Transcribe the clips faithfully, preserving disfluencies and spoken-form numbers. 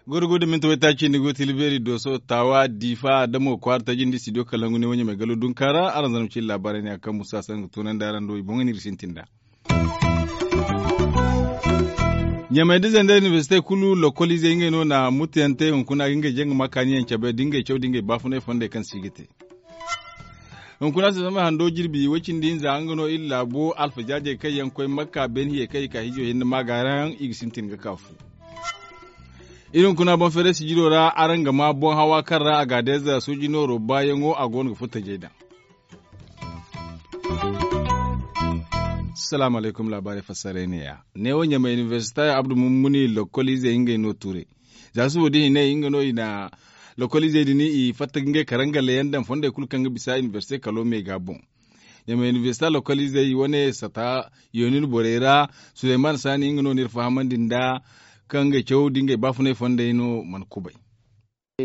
Gorgo da minti waytaaci ni go tilbeeri dooso taawa diifa adamo kwaara taji nda studio kalangu ne wo ɲamay galo dunka ra araŋ zama cine laabaarey ne a kaŋ musa saŋ ga tunandi araŋ do i boŋ ga no iri sintin nd'a. Ɲamay da zandar inibersite kulu lokoliizey ngey no na mutuyaŋ te hunkuna ga ngey jaŋ ga ma kaaniyaŋ cabe da ngey caw da ngey baafunay fondey kaŋ se i ga te. Hunkuna se zama hando jirbi way cindi hinza nga no iri laabo alfajaajey kaŋ yaŋ koy makka beene hiyey kaŋ i ka hijo hinne maagaarayaŋ i ga sintin ga ka fu. Iri hunkuna boŋ feeray sijiro ra araŋ ga ma boŋ hawa kaŋ ra a ga a deeza sooji nooro baayaŋo a go no ga furo tajey daŋ. Salaamu alaykum laabaarey fassaray ne-ya. Neewo ɲamay inibersita abdu mummuni lokoliizey ngey no tuuray. Za subo din i ne nga no i na lokoliizey din i fatta ga ngey karangaleyaŋ daŋ fondey kulu kaŋ ga bisa inibersite kalo me ga boŋ. Ɲamay inibersita lokoliizey wane sata yoonin borey ra. Suleyman saani nga no n'iri fahamandi nd'a kaŋ ngey caw da ngey baafunay fondey no mana kubay.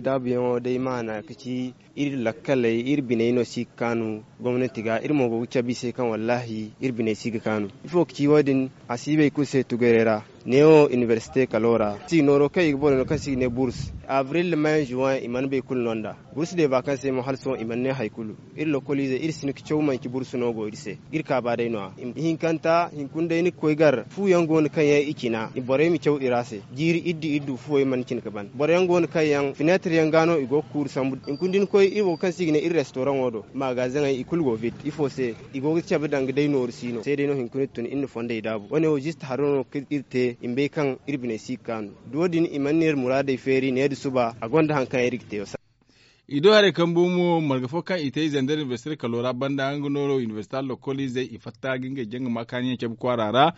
Daabuyaŋo day maana ka ci iri lakkaley iri biney no si ga kaanu gomnati ga iri mo go ga cabe i se kaŋ wallaahi iri biney si ga kaanu. Ifo ka ci wo- din? A si bay kulu se tugaray ra. Neewo inibersite kalo ra si nooro kaŋ i ga borey no kaŋ se i ga ne burs abril may juwan i mana bay kulu no nd'a. Burs de ba kaŋ se mo hala sohõ i mana ne hari kulu. Iri lokoliizey iri si hin ga caw manci burs no go iri se. Iri kaaba day no- ya. Ihinkanta hinkuna day ni ga koy gar fu yaŋ go no kaŋ yaŋ i cina borey ma caw i ra se. Jiiri iddu iddu fuwey mana cina ga ban boro yaŋ go no kaŋ yaŋ fineetir yaŋ ga no i go ga kuuru sambu. Hinkuna da ni koy iri wo kaŋ se i ga ne iri restoraŋo do maagazaŋey i kulu go vid ifo se? I go ga cabe danga day nooru siino se day no hinkuna iri tun iri na fondey daabu wo- ne wo zista haro no kaŋ iri te i ma bay kaŋ iri biney si ga kaanu. Da wo- din i mana ne iri muraadey feeri ne da suba a gonda hari kaŋ iri ga te. I do haray kaŋ bo mo marga fo kaŋ i te i zandar inibersite kalo ra banda nga nooro inibersite lokoliizey i fatta ga ngey jaŋ ga ma kaaniyaŋ cabe kwaara ra.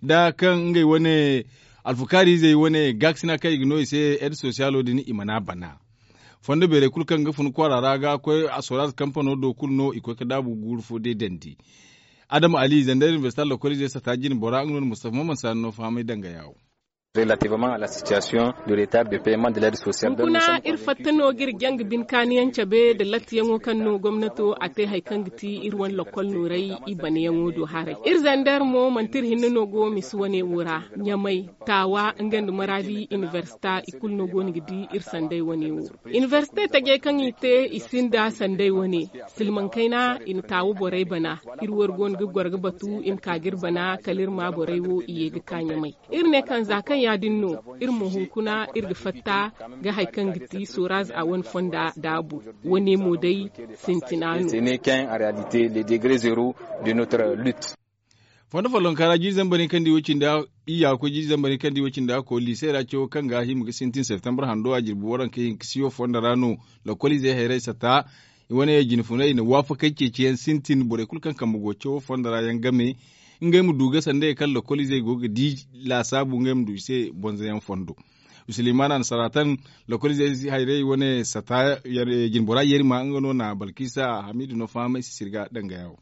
Da kaŋ ngey wane alfukaariizey wane gaakasina kaŋ i ga no i se ed sosiyalo din i mana bana. Fondo beerey kulu kaŋ ga fun kwaara ra ga koy a soraaz kampano do kulu no i koy ga daabu guuru fo day dandi. Adama ali zandar inibersite lokoliizey sata jine bora nga no na mustafa maman saani no fahamay danga yaawo. Relativement à la situation du retard de payement de l'aide sociale. Hunkuna iri fatta no ga iri jaŋ ga bine kaaniyaŋ cabe nda lattiyaŋo kaŋ no gomnato a te hari kaŋ ga ti iri wane lokol nooray i banayaŋo do haray. Iri zandar mo manti iri hinne no go misi wane wo ra ɲamay taawa nga nda maraadi inibersita i kulu no go no ga di iri sanday wane wo. Inibersite tajey kaŋ i te i sinda sanday wane. Silmaŋ kayna i na taawa borey bana. Iri wo iri go no ga goro ga batu i ma ka ga iri bana kala iri ma borey wo i ye ga ka ɲamay. Iri ne kaŋ za kaŋ ya- din no iri mo hunkuna iri ga fatta ga hari kaŋ ga ti soraz a wane fonda daabu. Wane mo day sintina no. Fondo follonka ra jiiri zambar hinka nda i way cindi a iyya ga koy jiiri zambar hinka nda i way cindi a ga koy liise ra cawo kaŋ ga hima ga sintin septembre hando a jirbi waranka hinka siyo fondo ra no. Lokoliizey hayray sata i wane jine funay i na waafakey ceeciyaŋ sintin borey kulu kaŋ kambe go cawo fondo ra yaŋ game ngey ma du ga sanda ye kaŋ lokoliizey go ga di laasaabu ngey ma du i se bonzoyaŋ fondo. Sulemana na saratan lokoliizey hayray wane sata jinbora yerima nga no na balkisa hamidu no fahamay si sirga danga yawo.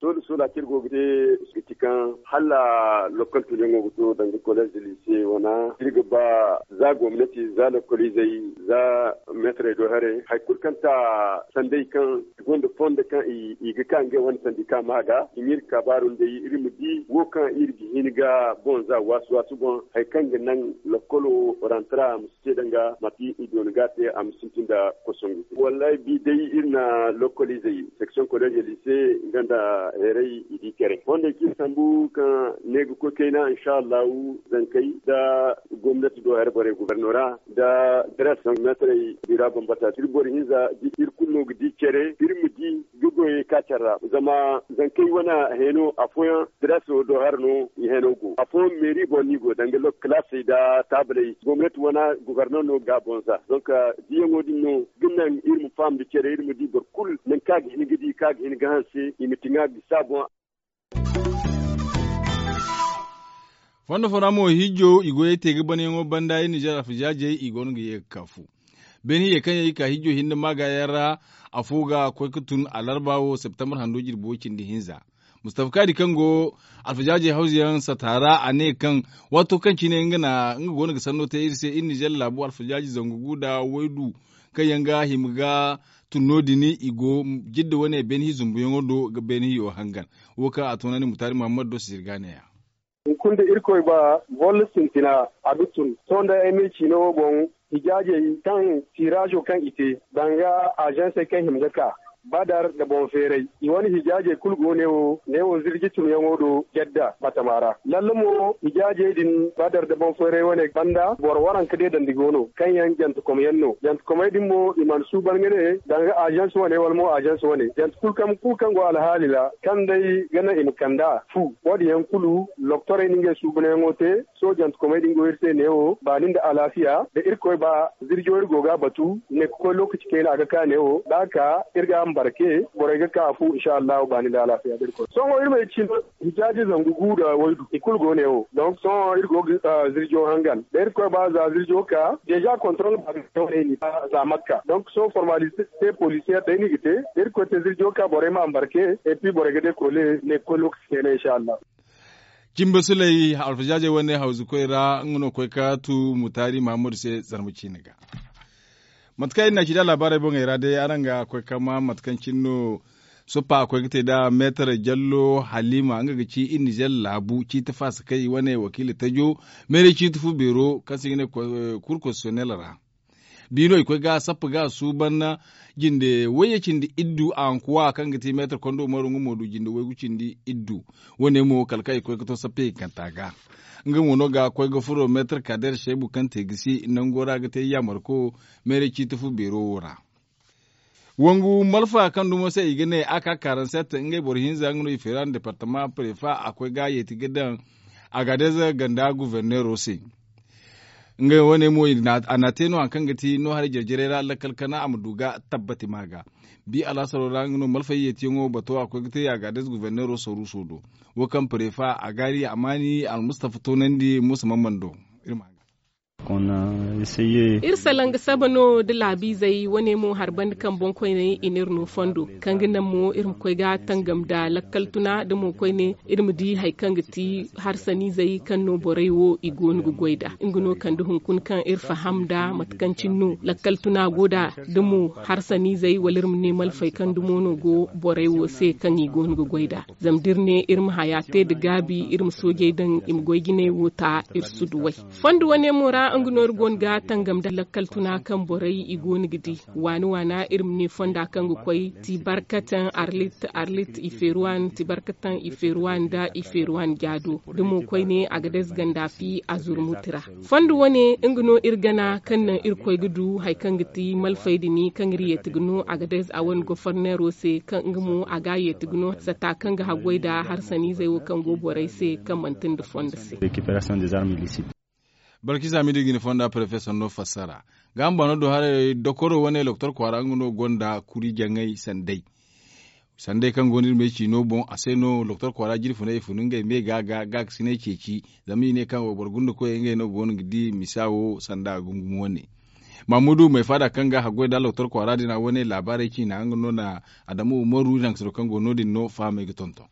Sola sola kaŋ iri go ga te ga ti kaŋ hala lokol tunyaŋo ga to danga kolleez da liise wana iri ga ba za gomnati za lokoliizey za meetarey do haray hari kulu kaŋ ta sanday kaŋ i gonda fondo kaŋ i ga ka ngey wane sandi ka ma ga i ma iri kabaaru nd'ey iri ma di wo kaŋ iri ga hin ga boŋ za waasu waasu boŋ hari kaŋ ga naŋ lokolo rantara ma si te danga mate i doona ga a te a ma sintin nda kosongu. Wallahi bi day iri na lokoliizey section kolleez liise nga nda heeray i di care fondey kaŋ iri sambu kaŋ ne ga koy kayna insha allahu zankey nda gomnati do hari borey gubernora nda dres meetarey bira bambata iri boro hinza iri kulu no ga di care iri ma di ga goyey ka care ra zama zankey wane heno afooyaŋ dres do hari no i heno go afooyaŋ meeri boŋ no i go danga kalaasey nda taabaley gomnati wane gubernor no ga a boŋ za donk diyaŋo din no ga naŋ iri ma faham nda care iri ma di boro kulu nangu kaŋ a ga hin ga di kaŋ a ga hin ga hanse i ma ti ŋwa ga bisa boŋ. Fondo fo ra mo hijo i goyey te ga banayaŋo banda iri nizer alfajaajey i go no ga ye ga ka fu beene hiyey kaŋ yaŋ i ka hijo hinne maaga yaŋ ra. Afo ga koy ga tun alarba wo septembre hando jirbi way cindi hinza. Mustafa Kaadi kaŋ go alfajaaje hawzu yaŋ sata ra, a ne kaŋ waato kaŋ cine nga na nga go no ga sanno te iri se iri nizer laabu alfajaaje zangu gu nda waydu kaŋ yaŋ ga hima ga tun no- din i go jidda wane beene hi zumbuyaŋo do ga beene hiyo hangan. Wo kaŋ a toonandi mutaari muhammad do sisir ga ne- ya. Hunkuna da irkoy ba bolla sintina a ga tun sohõ day ay ma ay ciina wo boŋ. Hijaajey kaŋ tiiraazo kaŋ i te danga azansey kaŋ hima ga ka badar nda boŋ feeray i wane hijaajey kulu go neewo neewo zirji tunyaŋo do jadda batama ra lalle mo hijaajey din badar nda boŋ feeray wane banda boro waranka deedandi go no kaŋ yaŋ jantekomyaŋ no jantekomey din mo i mana suuban ga ne danga azans wane wala mo azans wane jante kulu kaŋ go alhaali ra kaŋ day ga naŋ i ma kand'a fu wo- din yaŋ kulu loktorey na ngey suubanyaŋo te. Soojante komey din go iri se neewo baani nda alaafiya da irkoy ba zirjo iri go ga a batu ne ga koy lookaci kayna a ga ka neewo da a ka iri ga a ma barke borey ga ka a fu insa allahu baani nda alaafiya da irkoy sohõ iri ma ay cine hijaaji zangu gu nda waydu i kulu go neewo donk sohõ iri go ga zirjo hangan da irkoy ba za zirjo ka deeza kontrol ba ga neewo ne i na za makka donk sohõ formaliste polisiyeer day no i ga te da irkoy te zirjo ka borey ma a ma barke. Et puis borey ga dekoole ne ga koy lookaci kayna insa allahu. Cimba sulay alfajaajey wane hawzu koy ra nga no koy ka tu mutaari mahammadu se zarma ciine ga. Mate kaŋ iri na ci da laabaarey boŋey ra day araŋ ga koy ka ma mate kaŋ cine no soppa a koy ga te nd'a meetar jallo haliima nga ga ci iri nizer laabu ciiti faasa kaŋ i wane wakiila tajo meeray ciiti fu beero kaŋ se i ga ne kuru konsititiyonel ra. Biino i koy ga sappa ga suuban jinde wayye cindi iddu a hankuwa kaŋ ga ti meetar kondo maro nga mo du jinde waygu cindi iddu. Wo- ne mo kala kaŋ i koy ga to sappa hinkanta ga nga mo no ga koy ga furo meetar kader seebu kaŋ te gisi nango ra ga te yaamarko meeray ciiti fu beero wo ra. Wangu malfa kaŋ dumo se i ga ne a ka karanset ngey boro hinza nga no i feera nda departama prefa a koy ga yeeti ga daŋ agadez ganda guverneero se. Ngey wane mo a na te no hari kaŋ ga ti no haray jare-jarey ra lakkal kana a ma du ga tabbati ma ga. Bi alhasaro ra nga no malfayye tiyaŋo bato a koy ga te agadez guverneero saruuso do. Wo kaŋ prefa a gaari amaani almustafa toonandi musa mamman do. Iri ma ga. Iri salaŋ ga saba no da laabiizey wane mo hari banda kaŋ boŋkoyney i n'iri no fondo kaŋ ga naŋ mo iri ma koy ga tangam nda lakkal tuna da mo koyne iri ma di hari kaŋ ga ti harsaniizey kaŋ no borey wo i go no ga goy nd'a. Nga no kande hunkuna kaŋ iri faham nda mate kaŋ cine no lakkal tuna go nd'a da mo harsaniizey wala iri ma ne malfey kaŋ dumo no go borey wo se kaŋ i go no ga goy nd'a. Zama da iri ne iri ma haya te nda gaabi iri ma soojey daŋ i ma goy jinay wo ta iri si du way. Fondo wane mo ra nga no iri go no ga tangam nda lakkal tuna kaŋ borey i go no ga di waana waana iri ma ne fonda kaŋ ga koy ti barkatan arlit arlit i feeri waani ti barkatan i feeri waani nda i feeri waani jaado da mo koyne a ga dayze ganda fi a zurmuti ra. Fondo wane nga no iri gana kaŋ naŋ iri koy ga du hari kaŋ ga ti malfay din kaŋ iri yeeti ga no a ga dayze a wane goforneero se kaŋ nga mo a ga a yeeti ga no sata kaŋ ga haggoy nda harsaniizey wo kaŋ go borey se kaŋ manti nda fondo se. Balkisa midi ga ni fonda porofesor no fassara ga hamba no do haray dokoro wane loktor kwaara nga no gonda kuri jaŋay sanday. Sanday kaŋ go no iri ma ay ci no boŋ a se no loktor kwaara jirfunay i funu ngey me ga ga ga ga sinay ceeci. Zama i ne kaŋ wayboro gunda koyey ngey no go no ga di misa wo sanda gungumo wane. Mamudu may faada kaŋ ga haggoy nda loktor kwaara din a wane laabaarey ciina nga no na adamu umaru naŋ siro kaŋ go no- din no fahamay ga tonton.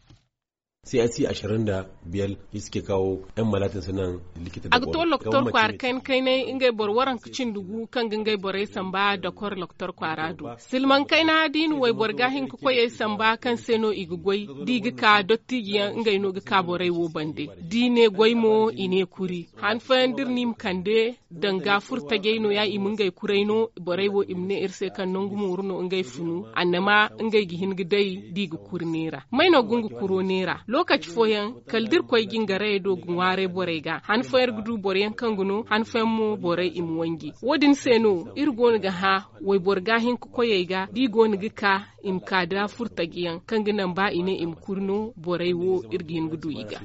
C S C ashirin da biyar shi suke kawo yan malatin suna likita. A ga to loktor kwaara kaynay kaynay ngey boro waranka cindi gu kaŋ ga ngey borey samba dokor loktor kwaara do. Silmaŋ kayna da i na wayboro ga hin ka koyey samba kaŋ se no i ga goy da i ga ka dottijiyaŋ ngey no ga ka borey wo bande da i ne goy mo i ne kuri han fooyaŋ da iri no i ma kande. Danga furtajey no- ya i ma ngey kuray no borey wo i ma ne iri se kaŋ nangu mooru no ngey funu annama ngey ga hin ga day da i ga kuri neera may no ga nga kuro neera lookaci fooyaŋ kala da iri koy jingarayey do ga ŋwaaray borey ga han fooyaŋ iri ga du boroyaŋ kaŋ ga no han fooyaŋ mo borey i ma wanji. Wo- din se no iri go no ga hã wayboro ga hin ka koyey ga da i go no ga ka i ma ka da furtajiyaŋ kaŋ ga naŋ ba i ne i ma kuri no borey wo iri ga hin ga du i ga.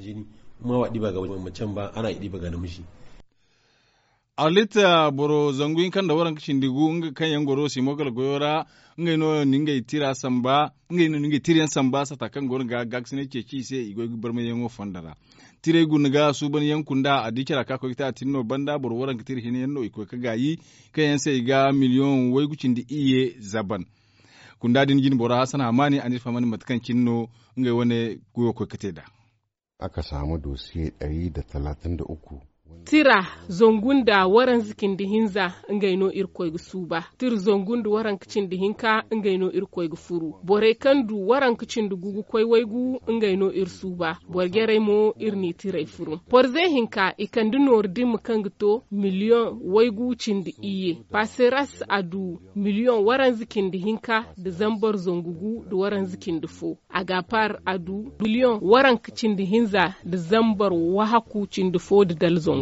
Arlit boro zangu hinka nda waranka cindi gu nga kaŋ yaŋ goro simo gala goyo ra ngey no na ngey tira samba ngey no na ngey tirayaŋ samba sata kaŋ go no ga gaakasinay ceeci i se i goy ga barmayyaŋo fonda ra. Tirey guna ga suuban yaŋ kunda a di cara ka koy ga te a tin no banda boro waranka tira hinne yaŋ no i koy ga gaayi kaŋ yaŋ se i ga miliyoŋ waygu cindi iyye zaban. Kunda din jine bora hassan hamaani a n'iri fahamandi mate kaŋ cine no ngey wane goyo koy ga te nd'a. Aka saamu dosiye ɗari da talatin da uku. Tira zangu nda waranza cindi hinza ngey no irkoy ga suuba. Tira zangu nda waranka cindi hinka ngey no irkoy ga furu. Borey kaŋ du waranka cindi gu ga koy waygu ngey no iri suuba. Boro jarey mo iri n'i tirey furu porze hinka i kande nooru dimma kaŋ ga to miliyoŋ waygu cindi iyye. Paseras a du miliyoŋ waranza cindi hinka nda zambar zangu gu nda waranza cindi fo. Agapar a du miliyoŋ waranka cindi hinza nda zambar wahaku cindi fo nda dala zangu.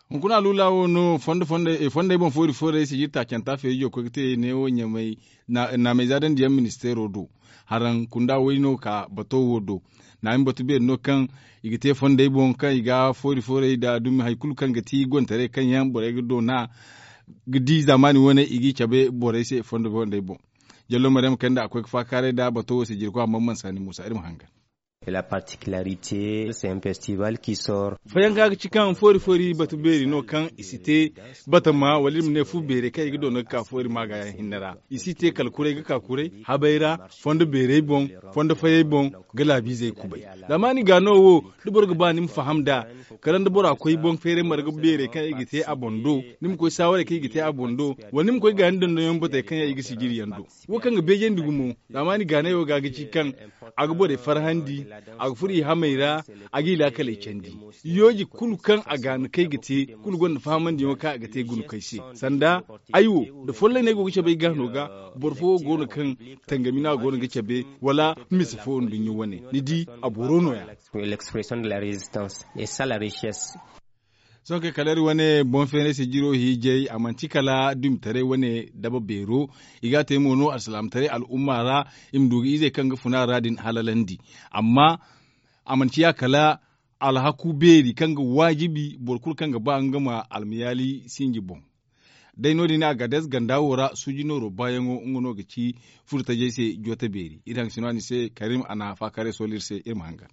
Hunkuna luula wo no fondo fondey boŋ foori foorey sijiri taacanta feerijo koy ga te neewo ɲamay. Naamay zaadandi yaŋ ministeero do haraŋ kunda way no ka bato wo do. Naami batu beeri no kaŋ i ga te fondey boŋ kaŋ i ga foori foorey nda dumi hari kulu kaŋ ga ti gontaray kaŋ yaŋ borey ga doona ga di zaamaani wane i g'i cabe borey se fondo fondey boŋ. Jallo maryam kay nda a koy ga faakaaray nda bato wo se jirkoy amma mansaani muusa iri ma hangan. La particularité c'est un festival qui sort. Fayanka ga ci kaŋ foori foori batu beeri no kaŋ i si te batama wala iri ma ne fu beerey kaŋ i ga doona ga ka foori maaga yaŋ hinne ra. I si te kala kuray ga ka kuray habay ra fondo beerey boŋ, fondo fayey boŋ, ga laabiizey kubay. Zaamaani ga no wo da boro ga ba ni ma faham nd'a kala nda bora koy boŋ feeray marga beerey kaŋ i ga te a boŋ do, ni ma koy saawarey kaŋ i ga te a boŋ do, wala ni ma koy gaani dondonyaŋ batey kaŋ yaŋ i ga sijiri yaŋ do. Wo kaŋ ga beejandi gumo zaamaani gaanay wo ga ga ci kaŋ a ga borey farhandi, a ga furo i hamey ra, a g'i laakaley candi. Yooji kulu kaŋ a gaana kay ga te kulu gonda fahamandiyaŋo kaŋ a ga te guna kay se. Sanda ay wo da folloyney go ga cabe ay gaano ga, boro fo wo go no kaŋ tangami no a go no ga cabe wala mise fo nduɲɲa wane ni di a boro no- ya. L'expression de la résistance et ça la richesse. Sohõ kay kala iri wane boŋ feenay sijiro hiijay a manti kala dumitaray wane daba beero. I ga a te mo no alsilaamataray al'umma ra i ma du ga izey kaŋ ga funa ra din halalandi. Amma a mana ciya kala alhaku beeri kaŋ ga waajibi boro kulu kaŋ ga ba nga ma almayaali sinji boŋ. Day no- din a ga des ganda wo ra suuji nooro baayaŋo nga no ga ci furo tajey se joote beeri iri haŋ si no a ni se karim a na faakaaray soola iri se iri ma hangan.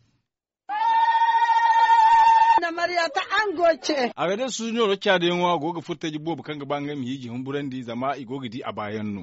A ga day suuji nooro caadayaŋo a go ga furo taji boobo kaŋ ga ba ngey ma hiiji humburandi zama i go ga di a baayaŋ no.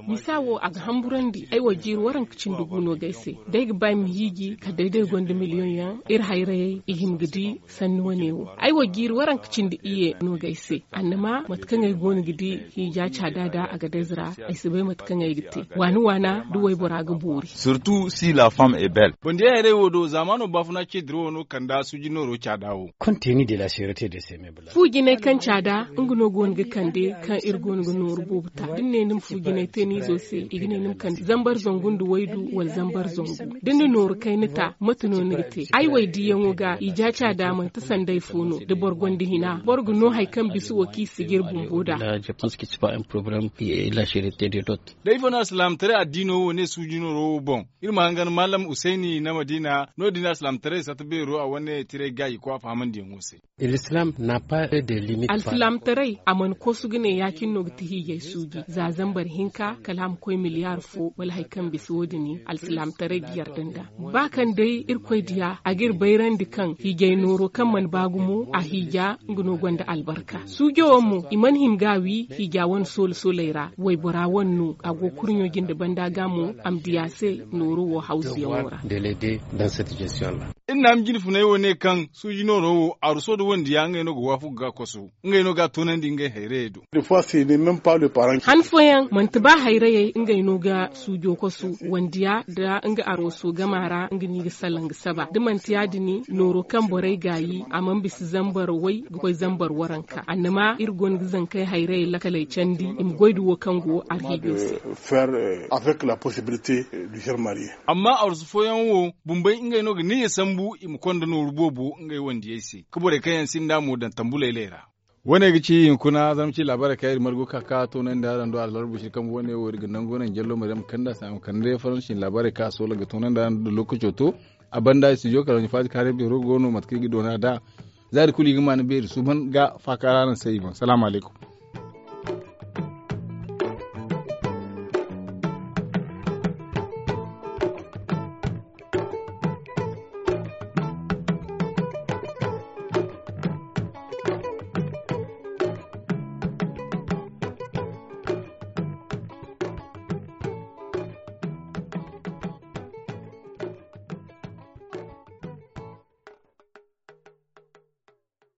Misa wo a ga hamburandi ay wo jiiri waranka cindi gu no ga ay se. Day ga ba ay ma hiiji kala day day gonda miliyoŋ yaŋ iri hayrayey i hima ga di sanni wane wo ay wo jiiri waranka cindi iyye no ga ay se. Annama mate kaŋ ay go no ga di hiija caada da a ga day zira ay si bay mate kaŋ ay ga te waani waana da waybora ga boori. Surtout si la femme est belle. Bandiyay haray wo do zaamaano baafuna ce dirawo no kanda suuji nooro caada wo. Fu jinay kaŋ caada nga no go no ga kande kaŋ iri go no ga nooru boobo ta da ni ne ni ma fu jinay te ni izo se i ga ne ni ma kande zambar zangu nda waydu wala zambar zangu. Da ni na nooru kayna ta mate no ni ga te ay way diyaŋo ga i ja caada manti sanday fo no da boro gonda hina boro ga no hari kaŋ bisa wo kaŋ i si ga iri bumbo nd'a. Da ifo no alsilaamataray addiino wo ne suuji nooro wo boŋ? Iri ma hangan maalam husayni na madiina no- din alsilaamataray satta beero a wane tiray gaayi ko a fahamandiyaŋo se. Alsilaamataray a mana kosu ga ne ya- cine no ga ti hiijay suuji za zambar hinka kala a ma koy miliyaar fo wala hari kaŋ bisa wo- din alsilaamataray ga yarda nd'a. Ba kaŋ day irkoy diya a ga iri bayrandi kaŋ hiijay nooro kaŋ mana ba gumo a hiija nga no gonda albarka suujo wo mo i mana hima ga a wi hiija wane soola sooley ra waybora wane no a go kurɲo jinde banda ga mo a ma diya se nooro wo hawzuyaŋo ra. Iri na a ma jine funay wo ne kaŋ suuji nooro wo aruso nda wandiya ngey no ga waafagu ga a koso ngey no ga a toonandi ngey hayrayey do. Han fooyaŋ manti ba hayrayey ngey no ga suujo koso wandiya nda nga aruso gama ra nga no i ga salaŋ ga saba da manti ya- din nooro kaŋ borey gaayi a mana bisa zambar way ga koy zambar waranka annama iri go no ga zankey hayrayey lakaley candi i ma goy nda wo kaŋ go arhiijo se. Amma arusu fooyaŋ wo bumbey ngey no ga niyya sambu i ma konda nooru boobo ngey wandiyey se ka borey kaŋ yaŋ sinda mo daŋ tambuley ley ra. Wo- ne ga ci hunkuna zama ci laabaarey kaŋ iri margu ka ka toonandi araŋ do allarbu shiri kambe wo- ne wo iri ga nangu naŋ jallo maryam kanda se a ma kande faransi laabaarey kaŋ a soola ga toonandi araŋ do da lookaco to. A banda studio kala wani faati kaaray beero go no mate kaŋ i ga doona nd'a. Za iri kulu i ga maana beeri suuban ga faakaara araŋ se i boŋ salaamu alaykum.